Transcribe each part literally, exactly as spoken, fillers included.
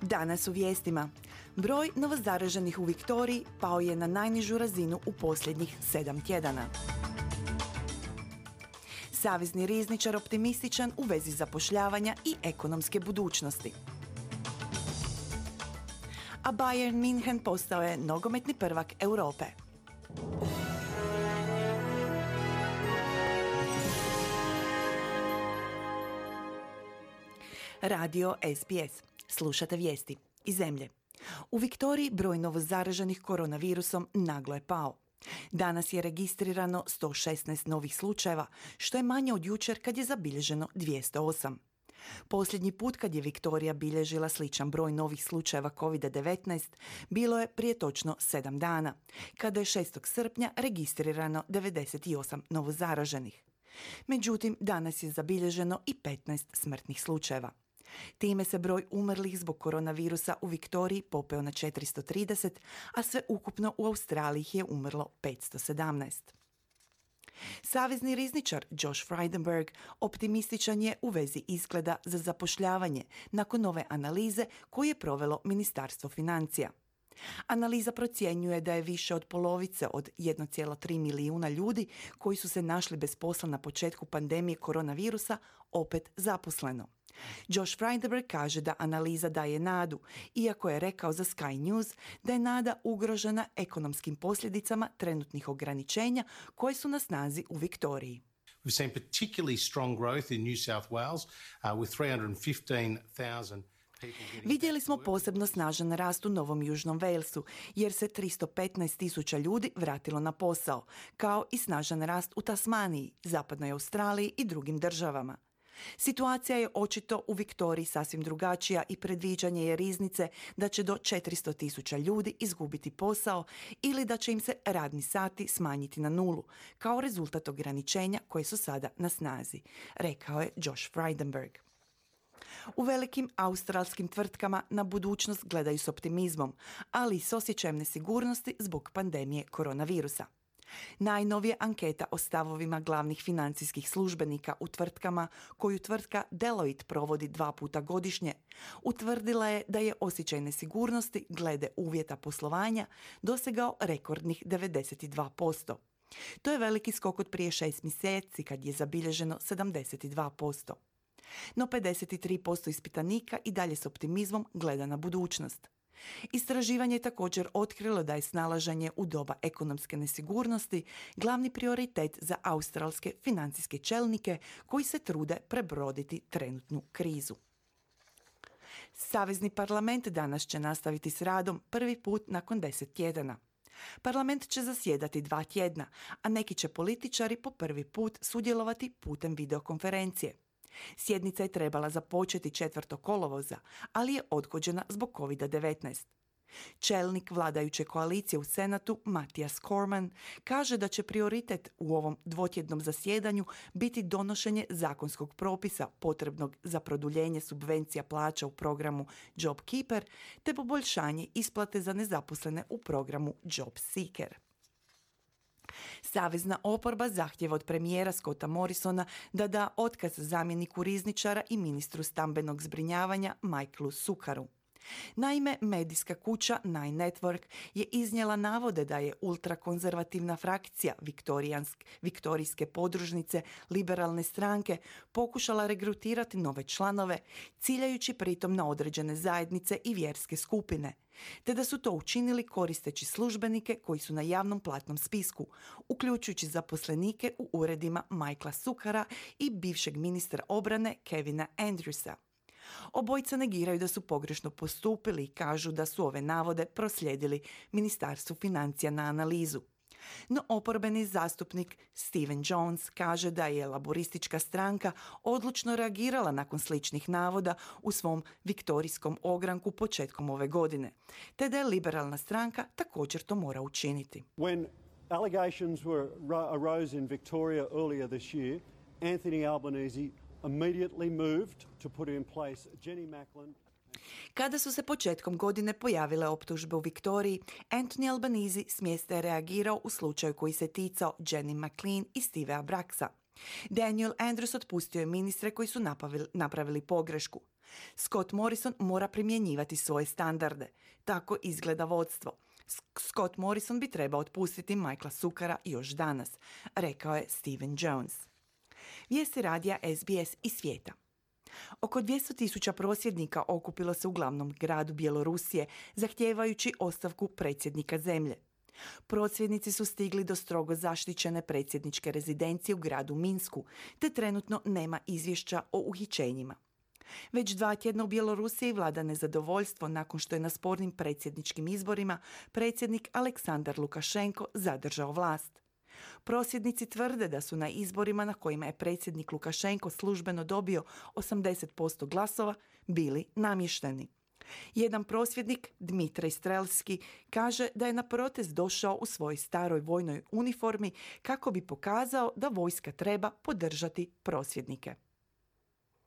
Danas u vijestima. Broj novozaraženih u Viktoriji pao je na najnižu razinu u posljednjih sedam tjedana. Savezni rizničar optimističan u vezi zapošljavanja i ekonomske budućnosti. A Bayern München postao je nogometni prvak Europe. Radio S B S. Slušate vijesti iz zemlje. U Viktoriji broj novozaraženih koronavirusom naglo je pao. Danas je registrirano sto šesnaest novih slučajeva, što je manje od jučer kad je zabilježeno dvjesto osam. Posljednji put kad je Viktorija bilježila sličan broj novih slučajeva kovid devetnaest bilo je prije točno sedam dana, kada je šestog srpnja registrirano devedeset osam novozaraženih. Međutim, danas je zabilježeno i petnaest smrtnih slučajeva. Time se broj umrlih zbog koronavirusa u Viktoriji popeo na četiristo trideset, a sve ukupno u Australiji je umrlo petsto sedamnaest. Savezni rizničar Josh Frydenberg optimističan je u vezi izgleda za zapošljavanje nakon nove analize koju je provelo Ministarstvo financija. Analiza procjenjuje da je više od polovice od jedan zarez tri milijuna ljudi koji su se našli bez posla na početku pandemije koronavirusa opet zaposleno. Josh Frydenberg kaže da analiza daje nadu, iako je rekao za Sky News da je nada ugrožena ekonomskim posljedicama trenutnih ograničenja koje su na snazi u Viktoriji. We've seen particularly strong growth in New South Wales uh, with three hundred fifteen thousand. Vidjeli smo posebno snažan rast u Novom Južnom Walesu, jer se tristo petnaest tisuća ljudi vratilo na posao, kao i snažan rast u Tasmaniji, Zapadnoj Australiji i drugim državama. Situacija je očito u Viktoriji sasvim drugačija i predviđanje je riznice da će do četiristo tisuća ljudi izgubiti posao ili da će im se radni sati smanjiti na nulu, kao rezultat ograničenja koje su sada na snazi, rekao je Josh Frydenberg. U velikim australskim tvrtkama na budućnost gledaju s optimizmom, ali i s osjećajem nesigurnosti zbog pandemije koronavirusa. Najnovija anketa o stavovima glavnih financijskih službenika u tvrtkama, koju tvrtka Deloitte provodi dva puta godišnje, utvrdila je da je osjećaj nesigurnosti glede uvjeta poslovanja dosegao rekordnih devedeset dva posto. To je veliki skok od prije šest mjeseci kad je zabilježeno sedamdeset dva posto. No pedeset tri posto ispitanika i dalje s optimizmom gleda na budućnost. Istraživanje je također otkrilo da je snalaženje u doba ekonomske nesigurnosti glavni prioritet za australske financijske čelnike koji se trude prebroditi trenutnu krizu. Savezni parlament danas će nastaviti s radom prvi put nakon deset tjedana. Parlament će zasjedati dva tjedna, a neki će političari po prvi put sudjelovati putem videokonferencije. Sjednica je trebala započeti četvrtog kolovoza, ali je odgođena zbog kovid devetnaest. Čelnik vladajuće koalicije u Senatu, Matthias Cormann, kaže da će prioritet u ovom dvotjednom zasjedanju biti donošenje zakonskog propisa potrebnog za produljenje subvencija plaća u programu JobKeeper te poboljšanje isplate za nezaposlene u programu JobSeeker. Savezna oporba zahtjeva od premijera Scotta Morrisona da da otkaz zamjeniku rizničara i ministru stambenog zbrinjavanja Michaelu Succaru. Naime, medijska kuća Nine Network je iznijela navode da je ultrakonzervativna frakcija viktorijske podružnice liberalne stranke pokušala regrutirati nove članove, ciljajući pritom na određene zajednice i vjerske skupine, te da su to učinili koristeći službenike koji su na javnom platnom spisku, uključujući zaposlenike u uredima Michaela Succara i bivšeg ministra obrane Kevina Andrewsa. Obojica negiraju da su pogrešno postupili i kažu da su ove navode proslijedili Ministarstvu financija na analizu. No oporbeni zastupnik Stephen Jones kaže da je laboristička stranka odlučno reagirala nakon sličnih navoda u svom viktorijskom ogranku početkom ove godine, te da je liberalna stranka također to mora učiniti. When allegations were arose in Victoria earlier this year, Anthony Albanese immediately moved to put in place Jenny Macklin. Kada su se početkom godine pojavile optužbe u Viktoriji, Anthony Albanese s mjesta je reagirao u slučaju koji se ticao Jenny McLean i Stevea Braxa. Daniel Andrews otpustio je ministre koji su napavili, napravili pogrešku. Scott Morrison mora primjenjivati svoje standarde. Tako izgleda vodstvo. Scott Morrison bi trebao otpustiti Michaela Sukara još danas, rekao je Stephen Jones. Vijesti radija S B S iz svijeta. Oko dvjesto tisuća prosvjednika okupilo se u glavnom gradu Bjelorusije, zahtijevajući ostavku predsjednika zemlje. Prosvjednici su stigli do strogo zaštićene predsjedničke rezidencije u gradu Minsku, te trenutno nema izvješća o uhićenjima. Već dva tjedna u Bjelorusiji vlada nezadovoljstvo nakon što je na spornim predsjedničkim izborima predsjednik Aleksandar Lukašenko zadržao vlast. Prosvjednici tvrde da su na izborima na kojima je predsjednik Lukašenko službeno dobio osamdeset posto glasova bili namješteni. Jedan prosvjednik, Dmitrij Strelski, kaže da je na protest došao u svojoj staroj vojnoj uniformi kako bi pokazao da vojska treba podržati prosvjednike.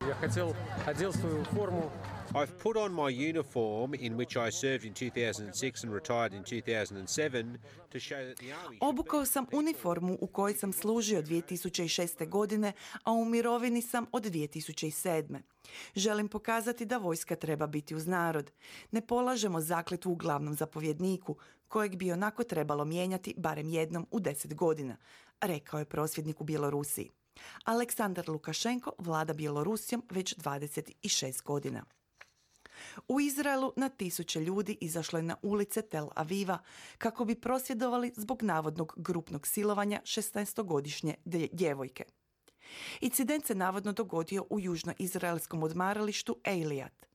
Я хотел, одел свою форму. I've put on my uniform in which I served in two thousand six and retired in two thousand seven to show that the army. Obukao sam uniformu u kojoj sam služio dvije tisuće šeste. godine, a u mirovini sam od dvije tisuće sedme. Želim pokazati da vojska treba biti uz narod. Ne polažemo zakletvu u glavnom zapovjedniku, kojeg bi onako trebalo mijenjati barem jednom u deset godina, rekao je prosvjednik u Bjelorusiji. Aleksandar Lukašenko vlada Bjelorusijom već dvadeset šest godina. U Izraelu na tisuće ljudi izašlo je na ulice Tel Aviva kako bi prosvjedovali zbog navodnog grupnog silovanja šesnaestogodišnje djevojke. Incident se navodno dogodio u južnoizraelskom odmaralištu Eilat.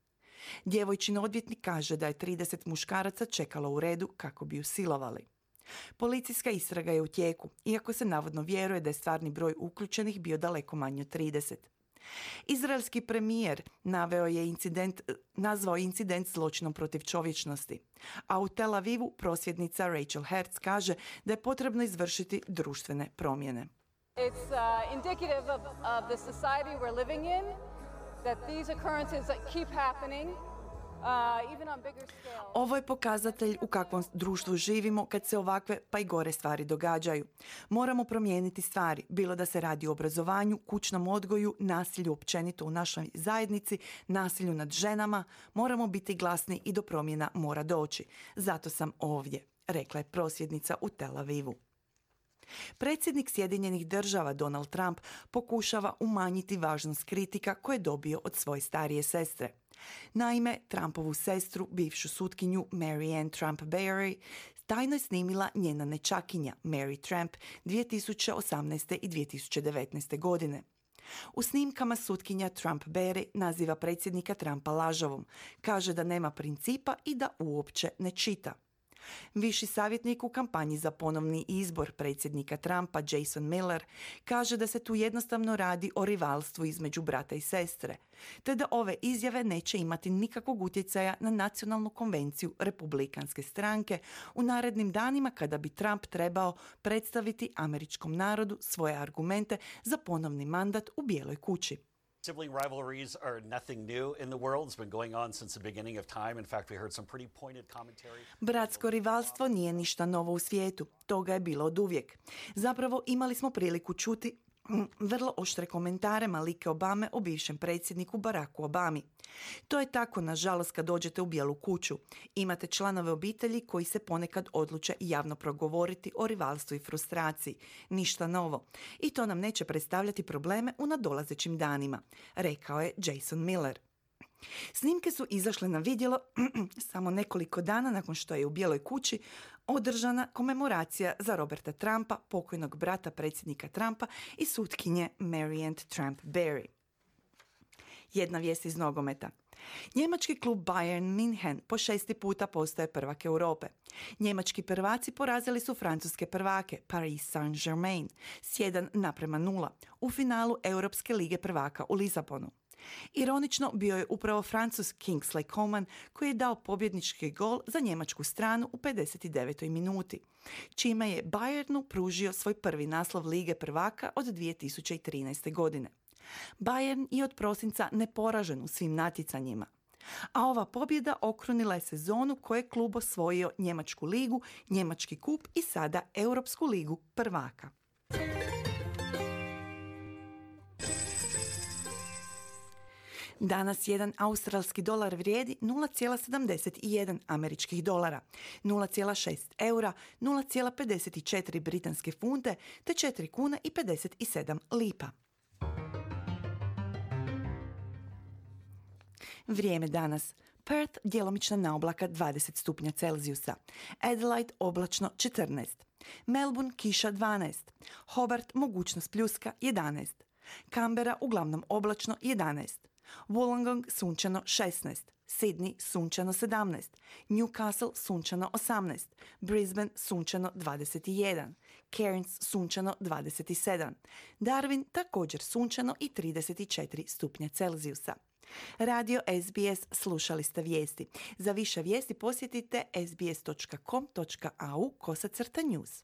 Djevojčin odvjetnik kaže da je trideset muškaraca čekalo u redu kako bi ju silovali. Policijska istraga je u tijeku, iako se navodno vjeruje da je stvarni broj uključenih bio daleko manji od trideset. Izraelski premijer naveo je incident, nazvao incident zločinom protiv čovječnosti, a u Tel Avivu prosvjednica Rachel Hertz kaže da je potrebno izvršiti društvene promjene. It's uh, indicative of, of the society we're living in, that these occurrences keep happening. Ovo je pokazatelj u kakvom društvu živimo kad se ovakve pa i gore stvari događaju. Moramo promijeniti stvari, bilo da se radi o obrazovanju, kućnom odgoju, nasilju općenito u našoj zajednici, nasilju nad ženama. Moramo biti glasni i do promjena mora doći. Zato sam ovdje, rekla je prosvjednica u Tel Avivu. Predsjednik Sjedinjenih država Donald Trump pokušava umanjiti važnost kritika koje je dobio od svoje starije sestre. Naime, Trumpovu sestru, bivšu sutkinju Mary Ann Trump Barry, tajno je snimila njena nečakinja Mary Trump dvije tisuće osamnaeste. i dvije tisuće devetnaeste. godine. U snimkama sutkinja Trump Barry naziva predsjednika Trumpa lažovom, kaže da nema principa i da uopće ne čita. Viši savjetnik u kampanji za ponovni izbor predsjednika Trumpa, Jason Miller, kaže da se tu jednostavno radi o rivalstvu između brata i sestre, te da ove izjave neće imati nikakvog utjecaja na nacionalnu konvenciju republikanske stranke u narednim danima kada bi Trump trebao predstaviti američkom narodu svoje argumente za ponovni mandat u Bijeloj kući. Sibling rivalries are nothing new in the world. It's been going on since the beginning of time. In fact, we heard some pretty pointed commentary. Bratsko rivalstvo nije ništa novo u svijetu. Toga je bilo oduvijek. Zapravo imali smo priliku čuti vrlo oštre komentare Malike Obame o bivšem predsjedniku Baracku Obami. To je tako, nažalost, kad dođete u Bijelu kuću. Imate članove obitelji koji se ponekad odluče javno progovoriti o rivalstvu i frustraciji. Ništa novo. I to nam neće predstavljati probleme u nadolazećim danima, rekao je Jason Miller. Snimke su izašle na vidjelo samo nekoliko dana nakon što je u Bijeloj kući održana komemoracija za Roberta Trumpa, pokojnog brata predsjednika Trumpa i sutkinje Mary Ann Trump Barry. Jedna vijest iz nogometa. Njemački klub Bayern München po šesti puta postaje prvak Europe. Njemački prvaci porazili su francuske prvake Paris Saint-Germain s jedan naprema nula u finalu Europske lige prvaka u Lisabonu. Ironično bio je upravo Francuz Kingsley Coman koji je dao pobjednički gol za njemačku stranu u pedeset devetoj minuti, čime je Bayernu pružio svoj prvi naslov Lige prvaka od dvije tisuće trinaeste. godine. Bayern je od prosinca neporažen u svim natjecanjima, a ova pobjeda okrunila je sezonu koje je klub osvojio Njemačku ligu, Njemački kup i sada Europsku ligu prvaka. Danas jedan australski dolar vrijedi nula zarez sedamdeset jedan američkih dolara, nula zarez šest eura, nula zarez pedeset četiri britanske funte te četiri kune i pedeset sedam lipa. Vrijeme danas. Perth djelomična naoblaka dvadeset stupnja Celzijusa, Adelaide oblačno četrnaest, Melbourne kiša dvanaest, Hobart mogućnost pljuska jedanaest, Canberra uglavnom oblačno jedanaest, Wollongong sunčano šesnaest, Sydney sunčano sedamnaest, Newcastle sunčano osamnaest, Brisbane sunčano dvadeset jedan, Cairns sunčano dvadeset sedam, Darwin također sunčano i trideset četiri stupnja Celzijusa. Radio S B S, slušali ste vijesti. Za više vijesti posjetite sbs dot com dot a u kosacrta news.